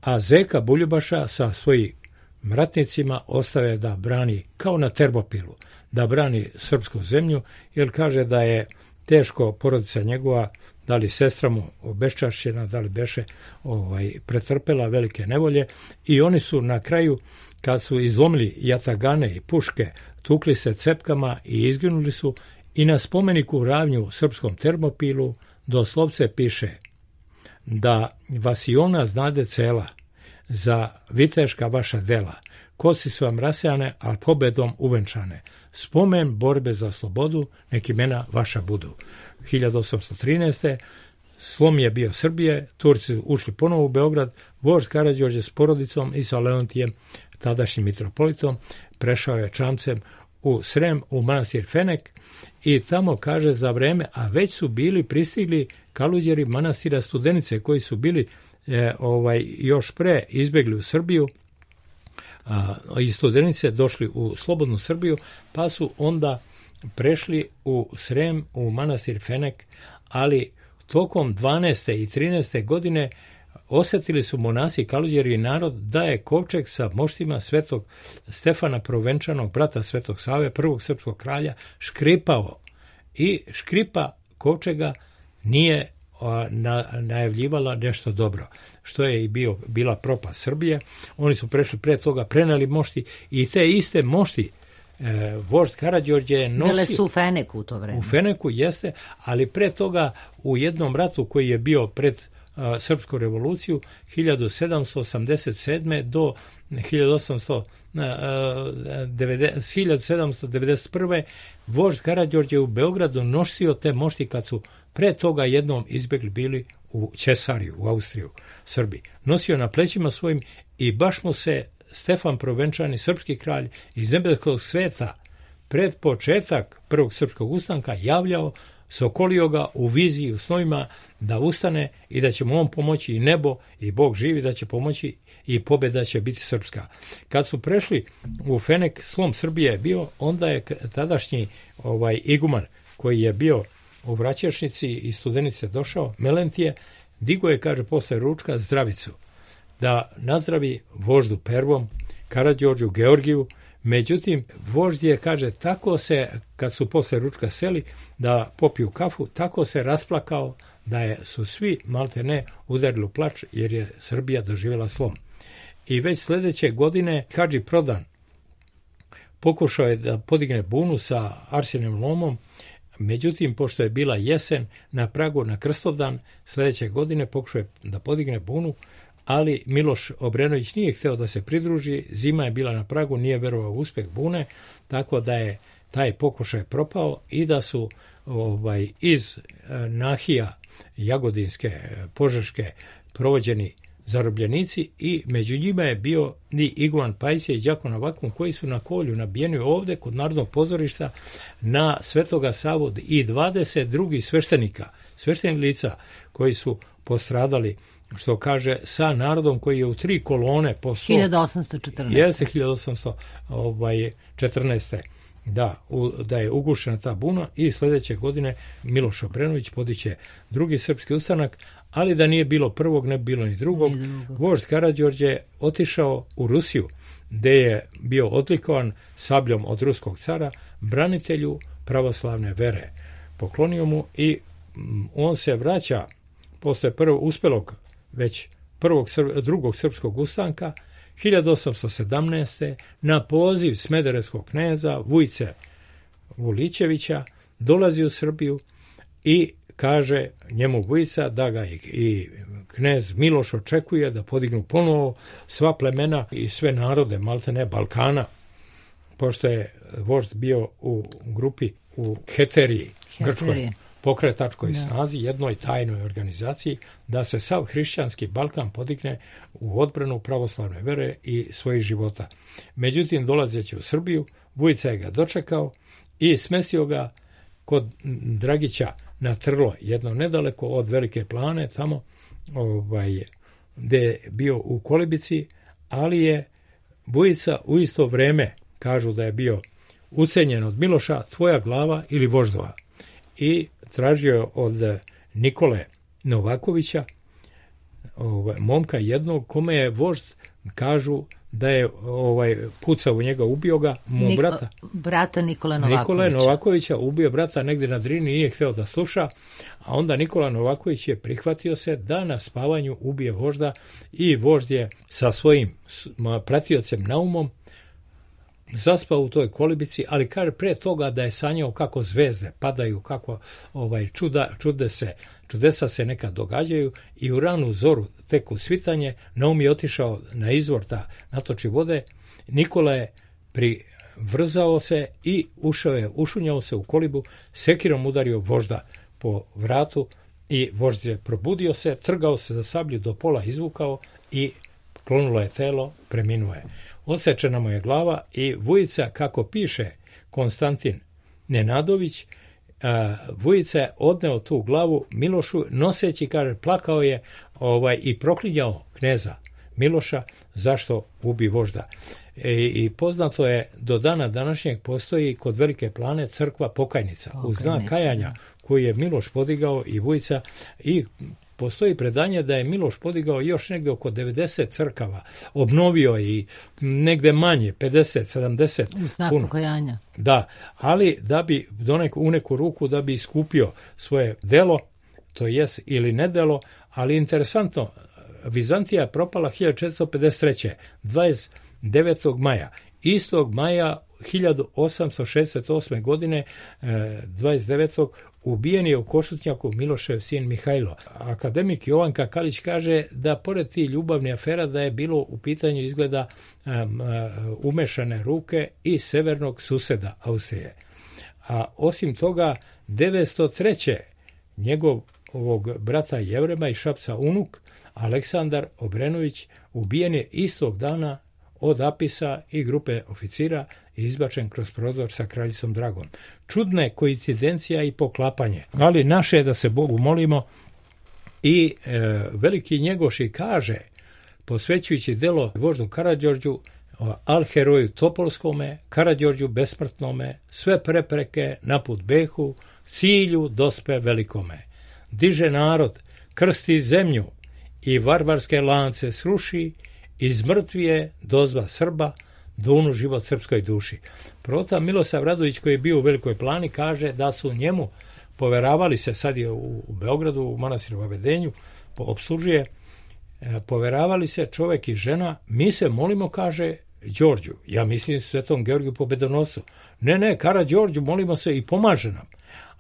Speaker 4: a Zeka Buljubaša sa svojim ratnicima ostave da brani, kao na Termopilu, da brani srpsku zemlju, jer kaže da je teško porodica njegova, da li sestra mu obeščašćena, da li beše pretrpela velike nevolje, i oni su na kraju, kad su izlomili jatagane i puške, tukli se cepkama i izginuli su, i na spomeniku u Ravnju u srpskom Termopilu doslovce piše da vas i ona znade cela, za viteška vaša dela, kosti su vam rasejane, ali pobedom uvenčane. Spomen borbe za slobodu, nek imena vaša budu. 1813. slom je bio Srbije, Turci ušli ponovo u Beograd, vožd Karađorđe s porodicom i sa Leontijem, tadašnjim mitropolitom, prešao je čamcem u Srem, u manastir Fenek i tamo kaže za vreme, a već su bili pristigli kaluđeri manastira Studenice koji su bili još pre izbjegli u Srbiju, iz Studenice došli u slobodnu Srbiju, pa su onda prešli u Srem, u manastir Fenek, ali tokom 12. i 13. godine osjetili su monasi kaluđeri i narod da je kovčeg sa moštima svetog Stefana Provenčanog, brata svetog Save, prvog srpskog kralja, škripao. I škripa kovčega nije najavljivala nešto dobro, što je i bila propast Srbije. Oni su prešli pre toga, preneli mošti i te iste mošti vožd Karađorđe je nosio...
Speaker 1: Bile su u Feneku u to vreme.
Speaker 4: U Feneku jeste, ali pre toga u jednom ratu koji je bio pred Srpsku revoluciju 1787. do 1791. vožd Karađorđe u Beogradu nosio te mošti kad su pre toga jednom izbjegli bili u Ćesariju, u Austriju, Srbiji. Nosio na plećima svojim i baš mu se Stefan Provenčani, srpski kralj iz nebeskog sveta, pred početak prvog srpskog ustanka javljao, sokolio ga u viziji, u snovima da ustane i da će mu on pomoći i nebo i Bog živi da će pomoći i pobjeda će biti srpska. Kad su prešli u Fenek, slom Srbije je bio, onda je tadašnji iguman koji je bio u Vraćešnici i Studenice došao, Melentije, digo je, kaže, posle ručka zdravicu, da nazdravi voždu Pervom, Karađorđu, Georgiju. Međutim, vožd je, kaže, tako se, kad su posle ručka seli da popiju kafu, tako se rasplakao da su svi malte ne udarili u plač jer je Srbija doživjela slom. I već sljedeće godine Hadži Prodan pokušao je da podigne bunu sa Arsenijevim lomom, međutim, pošto je bila jesen na pragu na Krstovdan, sljedeće godine pokušao je da podigne bunu, ali Miloš Obrenović nije hteo da se pridruži, zima je bila na pragu, nije verovao u uspjeh bune, tako da je taj pokušaj propao i da su iz nahija Jagodinske, Požeške provođeni zarobljenici i među njima je bio i Iguman Pajića i Đako Novakom koji su na kolju nabijeni ovdje kod Narodnog pozorišta na Svetoga Savu i 22 sveštenih lica koji su postradali, što kaže, sa narodom koji je u 3 kolone po
Speaker 1: 1814.
Speaker 4: Jeste 1814. Da je ugušena ta buna i sljedeće godine Miloš Obrenović podiće drugi srpski ustanak, ali da nije bilo prvog, ne bi bilo ni drugog. Vožd Karađorđe je otišao u Rusiju, gde je bio odlikovan sabljom od ruskog cara, branitelju pravoslavne vere. Poklonio mu i on se vraća posle uspelog već drugog srpskog ustanka 1817. na poziv smederevskog kneza Vujce Vulićevića dolazi u Srbiju i kaže njemu Vujica da ga i knez Miloš očekuje da podignu ponovo sva plemena i sve narode maltene Balkana, pošto je vožd bio u grupi u Heteriji, grčkoj pokretačkoj snazi, jednoj tajnoj organizaciji, da se sav hrišćanski Balkan podigne u odbranu pravoslavne vere i svojih života. Međutim, dolazeći u Srbiju, Vujica je ga dočekao i smestio ga kod Dragića na Trlo, jedno nedaleko od Velike Plane, tamo gde je bio u Kolibici, ali je Vujica u isto vreme, kažu da je bio ucenjen od Miloša, tvoja glava ili voždova. I tražio je od Nikole Novakovića, momka jednog, kome je vožd, kažu da je pucao u njega, ubio ga,
Speaker 1: brata Nikole Novakovića.
Speaker 4: Nikole Novakovića ubio brata negdje na Drini, nije hteo da sluša, a onda Nikola Novaković je prihvatio se da na spavanju ubije vožda i vožd je sa svojim pratiocem Naumom zaspao u toj Kolibici, ali kaže pre toga da je sanjao kako zvezde padaju, kako čudesa se neka događaju i u ranu zoru tek u svitanje Naum je otišao na izvor da natoči vode. Nikola je privrzao se i ušunjao se u kolibu, sekirom udario vožda po vratu i vožd je probudio se, trgao se za sablju, do pola izvukao i klonulo je telo, preminuo je. Odsečena mu je glava i Vujica, kako piše Konstantin Nenadović, Vujica je odneo tu glavu Milošu, noseći, kaže, plakao je i proklinjao kneza Miloša zašto ubi vožda. I poznato je, do dana današnjeg postoji kod Velike Plane crkva Pokajnica, u znak kajanja koju je Miloš podigao i Vujica, i postoji predanje da je Miloš podigao još negde oko 90 crkava, obnovio i negde manje, 50, 70.
Speaker 1: U znaku kajanja.
Speaker 4: Da, ali da bi u neku ruku da bi iskupio svoje delo, to jest ili nedelo, ali interesantno, Vizantija je propala 1453. 29. maja. Istog maja 1868. godine 29. ubijen je u Košutnjaku Milošev sin Mihajlo. Akademik Jovan Kakalić kaže da pored tih ljubavnih afera da je bilo u pitanju izgleda umešane ruke i severnog suseda Austrije. A osim toga 903. njegovog brata Jevrema i Šapca unuk Aleksandar Obrenović ubijen je istog dana od Apisa i grupe oficira i izbačen kroz prozor sa kraljicom Dragom. Čudna je koincidencija i poklapanje, ali naše je da se Bogu molimo. I veliki Njegoši kaže, posvećujući delo voždu Karađorđu, al heroju Topolskome, Karađorđu besmrtnome, sve prepreke naput behu, cilju dospe velikome. Diže narod, krsti zemlju i varvarske lance sruši, iz mrtvije dozva Srba, dunu život srpskoj duši. Prota Milosav Radović, koji je bio u Velikoj Plani, kaže da su njemu poveravali se, sad je u Beogradu, u manastiru Vavedenju, opslužuje, poveravali se čovek i žena, mi se molimo, kaže, Đorđu, ja mislim Svetom Georgiju Pobedonosu. Ne, Karađorđu, molimo se i pomaže nam.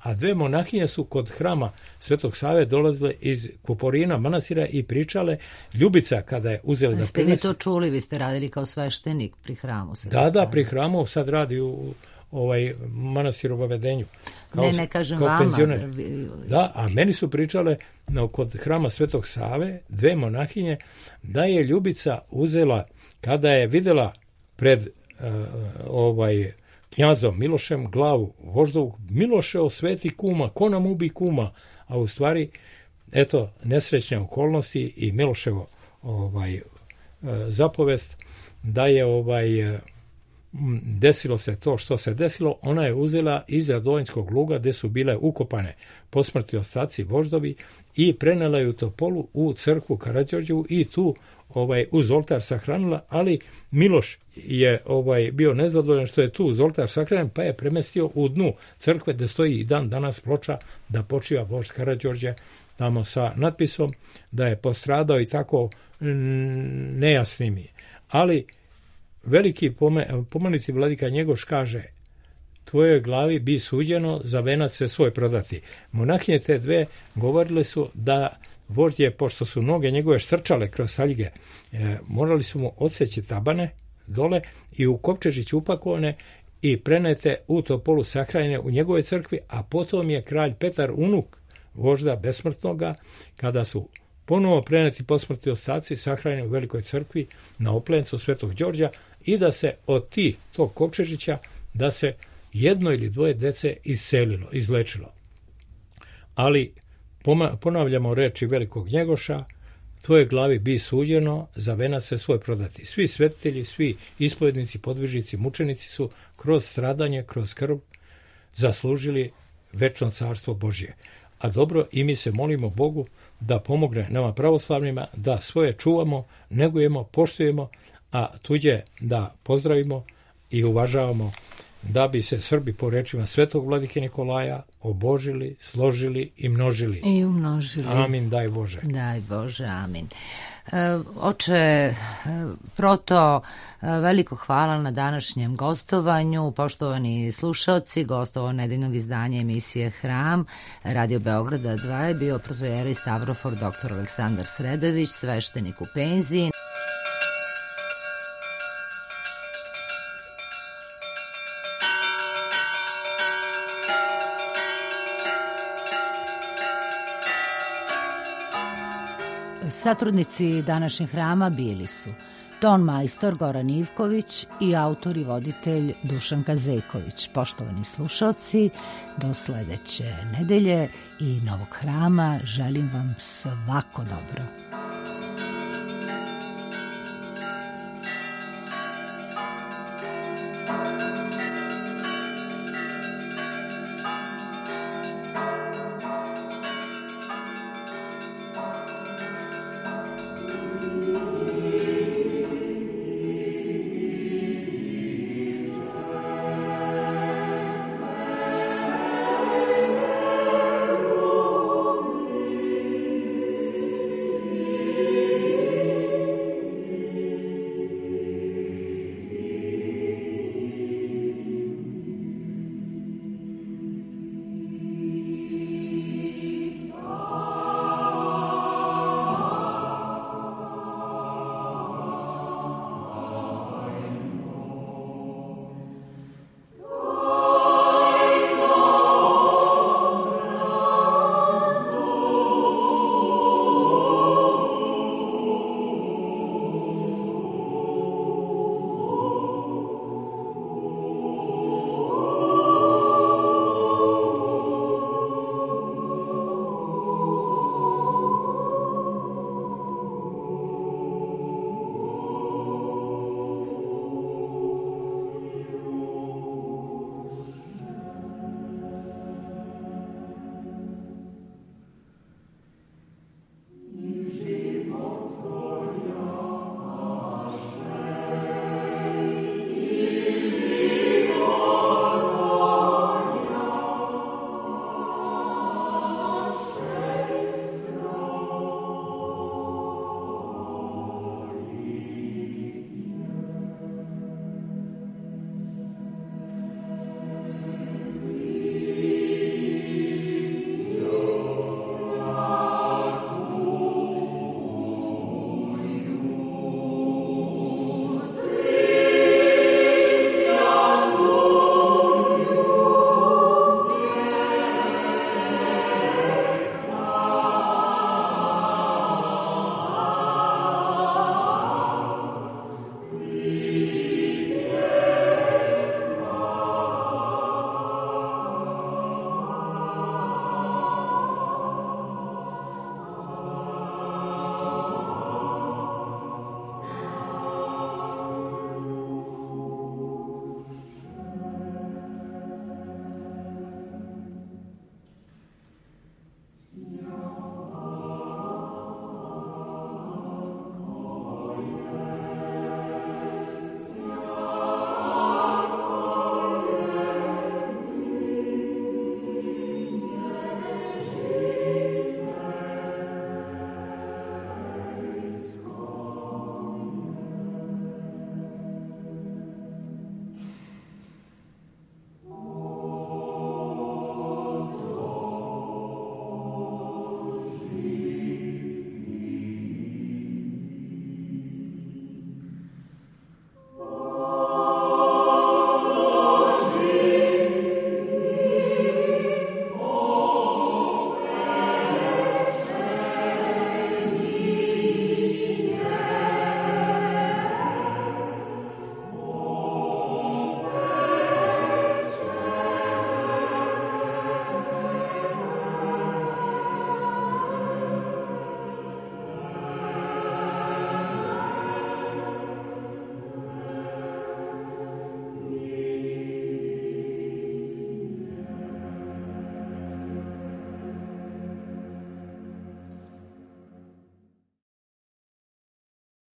Speaker 4: A dve monahinje su kod hrama Svetog Save dolazile iz Kuporina manastira i pričale. Ljubica, kada je uzela da
Speaker 1: prinesu... Ste vi to čuli, vi ste radili kao sveštenik pri hramu Svetog
Speaker 4: Save? Da, pri hramu, sad radi u manastiru Vavedenju.
Speaker 1: Ne kažem vama.
Speaker 4: Penzioner. Da, a meni su pričale kod hrama Svetog Save, dve monahinje, da je Ljubica uzela, kada je videla pred knjazom Milošem glavu voždovu, Miloše osveti kuma, ko nam ubi kuma, a u stvari, eto, nesrećne okolnosti i Miloševo zapovest da je desilo se to što se desilo, ona je uzela iz Radovanjskog luga gde su bile ukopane posmrtni ostaci voždovi i prenela je u Topolu u crkvu Karađorđevu i tu uz oltar sahranila, ali Miloš je bio nezadovoljan što je tu uz oltar sahranjen, pa je premestio u dnu crkve gde stoji i dan danas ploča da počiva vožd Karađorđe, tamo sa natpisom da je postradao i tako nejasnim je. Ali veliki pomenuti vladika Njegoš kaže, tvojoj glavi bi suđeno za venac se svoj prodati. Monahinje te dve govorile su da vožd je, pošto su noge njegove štrčale kroz saljige, morali su mu odseći tabane dole i u kovčežić upakovane i prenete u Topolu sahranjene u njegove crkvi, a potom je kralj Petar unuk vožda besmrtnoga, kada su ponovo preneti posmrtni ostaci sahranjeni u Velikoj crkvi na Oplencu Svetog Đorđa i da se od tog kovčežića da se jedno ili dvoje dece izlečilo. Ali ponavljamo reči velikog Njegoša, tvojoj glavi bi suđeno za venac se svoj prodati. Svi svetitelji, svi ispovednici, podvižnici, mučenici su kroz stradanje, kroz krv zaslužili večno carstvo Božje. A dobro, i mi se molimo Bogu da pomogne nama pravoslavnima, da svoje čuvamo, negujemo, poštujemo, a tuđe da pozdravimo i uvažavamo, da bi se Srbi po rečima svetog vladike Nikolaja obožili, složili i množili.
Speaker 1: I umnožili.
Speaker 4: Amin, daj Bože.
Speaker 1: Daj Bože, amin. Oče Proto, veliko hvala na današnjem gostovanju. Poštovani slušalci, gostovao nedeljnog izdanja emisije Hram Radio Beograda 2 je bio protojera i stavrofor dr. Aleksandar Sredojević, sveštenik u penziji. Satrudnici današnjeg hrama bili su ton majstor Goran Ivković i autor i voditelj Dušanka Zejković. Poštovani slušalci, do sledeće nedelje i novog hrama želim vam svako dobro.